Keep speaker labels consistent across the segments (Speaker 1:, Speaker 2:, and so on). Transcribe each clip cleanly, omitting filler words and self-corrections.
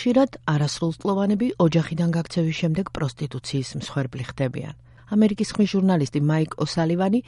Speaker 1: ხშირად არასრულწლოვანები ოჯახიდან გაქცევის შემდეგ პროსტიტუციის მსხვერპლი ხდებიან. ამერიკის ხმის ჟურნალისტი მაიკ ოსალივანი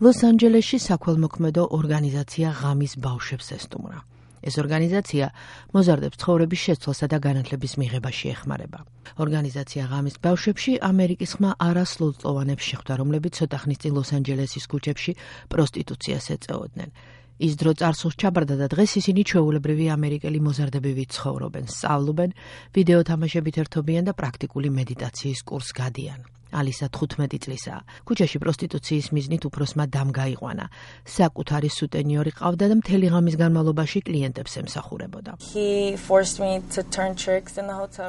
Speaker 1: ლოს-ანჯელესში საქველმოქმედო ორგანიზაცია ღამის ბავშვებს ესტუმრა. ეს ორგანიზაცია მოზარდებს ცხოვრების შეცვლასა და განათლების მიღებაში ეხმარება. ორგანიზაცია ღამის ბავშვებში ამერიკის ხმა არასრულწლოვანებს შეხვდა, რომლებიც ცოტა ხნის წინ ლოს-ანჯელესის ქუჩებში პროსტიტუციას ეწეოდნენ. ის დრო წარსულს ჩაბარდა და დღეს ისინი ჩვეულებრივი ამერიკელი მოზარდებივით ცხოვრობენ, სწავლობენ, ვიდეო თამაშებით ერთობიან და პრაქტიკული მედიტაციის კურსს გადიან. ალისა 15 წლისაა. ქუჩაში პროსტიტუციის მიზნით უფროსმა დამ გაიყვანა. საკუთარი სუტენიორი ყავდა და მთელი ღამის განმავლობაში კლიენტებს ემსახურებოდა.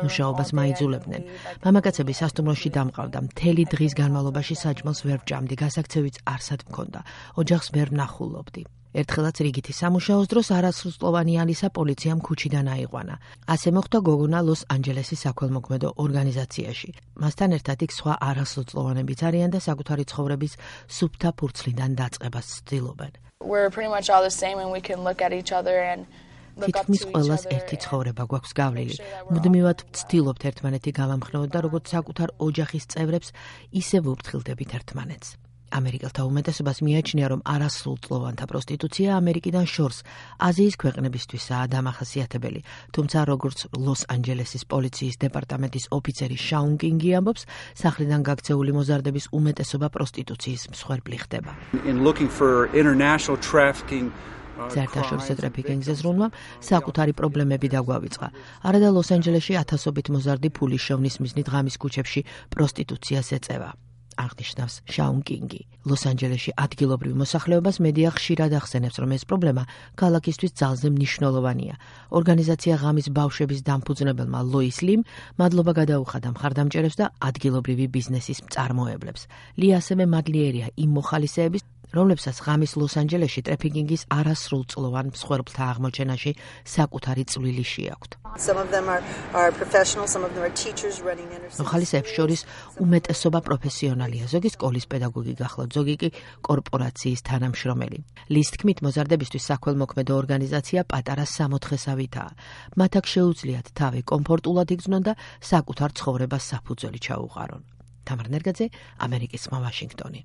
Speaker 1: მუშაობას მაიძულებდნენ. მამაკაცები სასტუმროში დამყავდა. მთელი დღის განმავლობაში საჭმელს ვერ ვჭამდი, გასაქცევიც არსად მქონდა. ოჯახს ვერ ვნახულობდი. ერთხელაც რიგითი სამუშაოს დროს არასრულწლოვანი ალისა პოლიციამ ქუჩიდან აიყვანა. ასე მოხდა გოგონა ლოს-ანჯელესის საქველმოქმედო ორგანიზაციაში. მასთან ერთად იქ სხვა არასრულწლოვანებიც არიან და საკუთარი ცხოვრების სუფთა ფურცლიდან დაწყებას ცდილობენ. თითქმის ყველას ერთი ცხოვრება გვაქვს გავლილი. მუდმივად ვცდილობთ ერთმანეთი გავამხნევოთ და როგორც საკუთარ ოჯახის წევრებს, ისე ვუფრთხილდებით ერთმანეთს. ამერიკელთა უმეტესობას მიაჩნია, რომ არასრულწლოვანთა პროსტიტუცია ამერიკიდან შორს აზიის ქვეყნებისთვისაა დამახასიათებელი. თუმცა, როგორც ლოს-ანჯელესის პოლიციის დეპარტამენტის ოფიცერი შაუნ კინგი ამბობს, სახლიდან გაქცეული მოზარდების უმეტესობა პროსტიტუციის მსხვერპლი ხდება. საერთაშორისო ტრაფიკინგზე ზრუნვამ საკუთარი პრობლემები დაგვავიწყა. არადა ლოს-ანჯელესში ათასობით მოზარდი ფულის შოვნის მიზნით ღამის ქუჩებში პროსტიტუციას ეწევა. აღნიშნავს შაუნ კინგი. ლოს-ანჯელესში ადგილობრივ მოსახლეობას მედია ხშირად ახსენებს, რომ ეს პრობლემა ქალაქისთვის ძალზე მნიშვნელოვანია. ორგანიზაცია ღამის ბავშვების დამფუძნებელმა ლოის ლიმ მადლობა გადაუხადა მხარდამჭერებს და ადგილობრივი ბიზნესის მწარმოებლებს. ლი ასევე მადლიერია იმ მოხალისეების, რომლებსაც ღამის ლოს-ანჯელესში ტრაფიკინგის არასრულწლოვან მსხვერპლთა აღმოჩენაში საკუთარი წვლილი შეაქვთ. მოხალისეებს შორის უმეტესობა პროფესიონალია, ზოგი სკოლის პედაგოგი გახლავთ, ზოგი კი კორპორაციის თანამშრომელი. ლის თქმით, მოზარდებისთვის საქველმოქმედო ორგანიზაცია პატარა სამოთხესავითაა. მათ აქ შეუძლიათ თავი კომფორტულად იგრძნონ და საკუთარ ცხოვრებას საფუძველი ჩაუყარონ. თამარ ნერგაძე, ამერიკის ხმა, ვაშინგტონი.